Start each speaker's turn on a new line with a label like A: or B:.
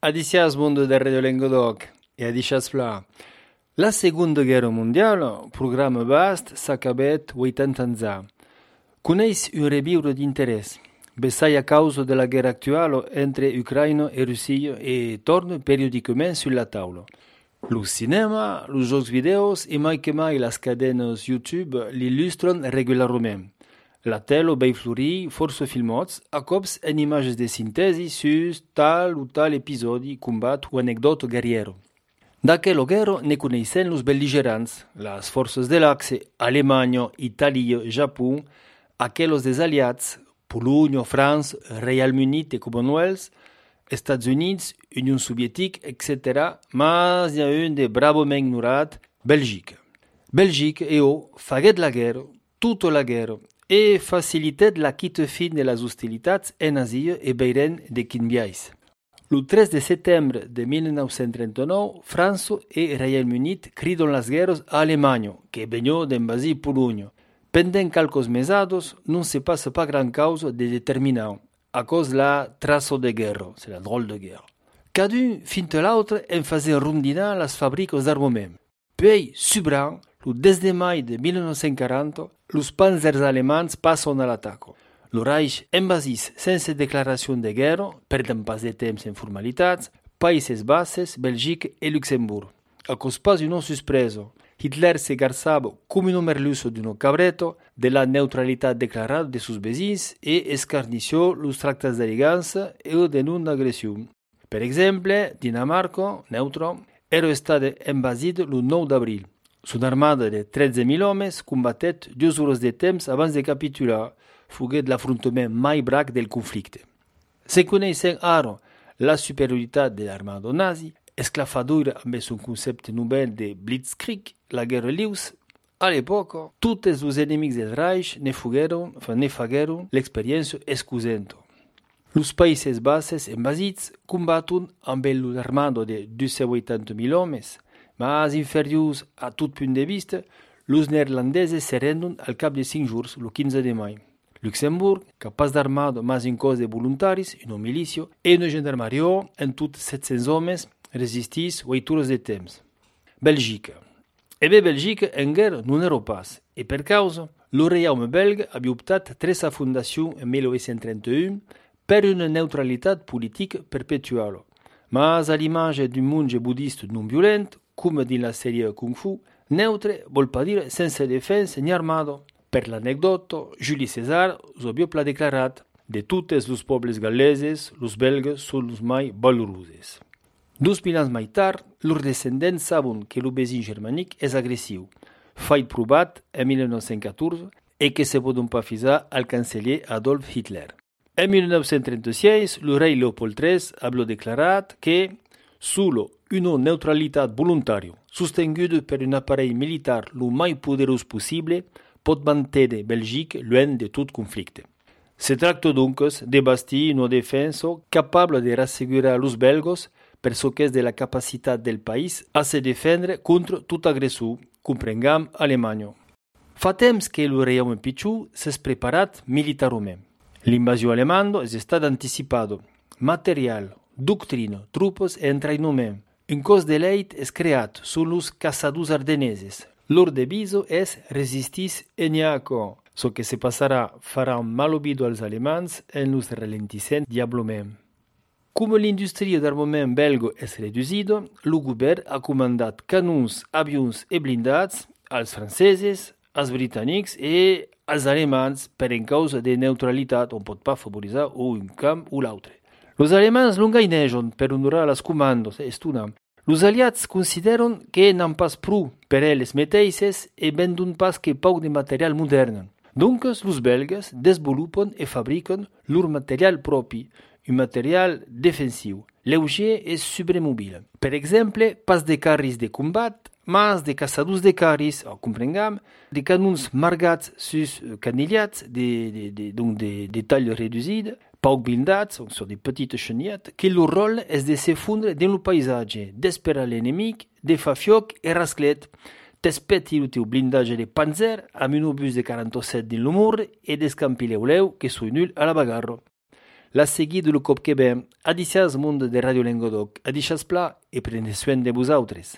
A: Adicias mondo del Radio Languedoc e adicias fla. La Seconda Guerra Mondiale, programma vast, s'acabet 80 ans fa. Coneis un rebiure d'interès. Bessai a causa della guerra attuale entre Ucraina e Russia e torna periodicamente sulla tavola. Lo cinema, los giochi video e mai che mai las cadenas YouTube l'illustrano regolarmente. La tele bei flori, forse filmots, a cops en images de sintesi su tal o tal episodi, combat o anecdoto guerriero. D'aquella guerra ne coneissent los belligerants, las forces de l'Axe, Alemanya, Italia, Japó, aquellos des aliats, Polònia, França, Reial Unit e Commonwealth, Estats Units, Union Soviétique, etc., mas hi ha un de bravament ignorat, Bèlgica. Bèlgica, faguet la guerra, tota la guerra, e facilitet la quitte fin de les hostilitats en Àsia e Beiren de Quinbiais. Le 3 de setembre de 1939, França e Reial Unit cridon les guerres a Alemanya, que venó d'invasir Polònia. Pendent calcos mesados, non se passa pas gran causa de determinar, a cause la traço de guerra, c'est la drôle de guerra. Cadun, fins a l'altre, en faisait rondinar les fabriques d'armament. Puis, subran, le 10 de mai de 1940, los panzers alemands passen a l'atac. El Reich envasis sense declaració de guerra, perdent pas de temps en formalitats, Països Baixos, Bèlgica e Luxemburg. A cos pas una sorpresa, Hitler se garzava come un merluzo d'un cabreto de la neutralitat declarada de sus vecins e escarnició los tractats d'aliança e de non-agressió. Per exemple, Dinamarca, neutra, era estat envasit el 9 d'abril. Son armada de 13.000 homes combatet 2 hores de temps abans de capitular, fuguet l'afrontament mai brac del conflicte. Se coneixen ara la superioritat de l'armada nazi, esclafadora amb son concepte novel de Blitzkrieg, la guerra lius, a l'època, tots els enemics del Reich ne fagueren l'experiència excusenta. Los Països Baixos envasits combaten amb l'armada de 280.000 homes, mas inferiors a tot punt de vista, los neerlandeses se renden al cap de 5 jours, el 15 de mai. Luxemburg, capaç d'armada mas un cos de voluntaris, una milícia e una gendarmeria en tot 700 homes, resistís 8 hores de temps. Bèlgica. Bèlgica en guerra non era pas, e per causa, lo reiaume belga havia optat tras sa fundació en 1931 per una neutralitat politica perpetuala. Mas a l'imatge d'un monge budista non violent, come din la sèrie Kung Fu, neutre vol pas dir sense defensa ni armada. Per l'anecdota, Juli César havia pla declarat de totes los pobles gal·leses, los belgues són los mai valorosos. 2000 anys mai tard, lors descendents saben que el vesin germànic és agressiu, fet provat en 1914 e que se poden pas fisar al canceller Adolf Hitler. En 1936, el rei Leopold III havia declarat que solo una neutralitat voluntària, sostenguda per un aparell militar lo mai poderós possible, pot mantenir Bèlgica lluny de tot conflicte. Se tracta doncs de bastir una defensa capable de rassegurar los belgos per ce que és de la capacitat del país a se defendre contra tot agressor, comprengam Alemanya. Fa temps que el reiaume pitjor s'és preparat militarment. L'invasió alemanda és estat anticipada. Material, doctrina, tropes e entrenament. Un cos d'elite és creat són los caçadors ardeneses. Leur deviso és resistis eniaco. Ce que se passarà farà un mal oído als alemands en los ralentissent diablement. Com l'indústria d'armament belga és reduïda, el govern ha comandat canons, avions e blindats als francesos, als britànics e als alemands per en causa de neutralitat on pot pas favoritzar un camp o l'altre. Los alemands non gainegen per honorar les comandes, estona. Los aliats consideren que n'han pas prou per elles mateixes e vendun pas que poc de material modern. Donc, los belgues desenvolupen e fabriquen leur material propi, un material defensiu, lleuger e subremobile. Per exemple, pas de carris de combat, mas de caçadors de carris, comprengam, de canons margats sus canillats de tall reduïda, poc blindats, sur des petites chenillettes, que leur rôle és de se fondre dans le paisatge, d'esperar l'enemic, de fa fioc e rasclet, t'espeti el teu blindatge de panzer amb un obús de 47 dins l'humor e d'escampir l'eu que soi nul a la bagarra. l'ha seguit el cop que ve, adicias mundo de Radio Lengodoc, adicias pla e prende soin de vosaltres.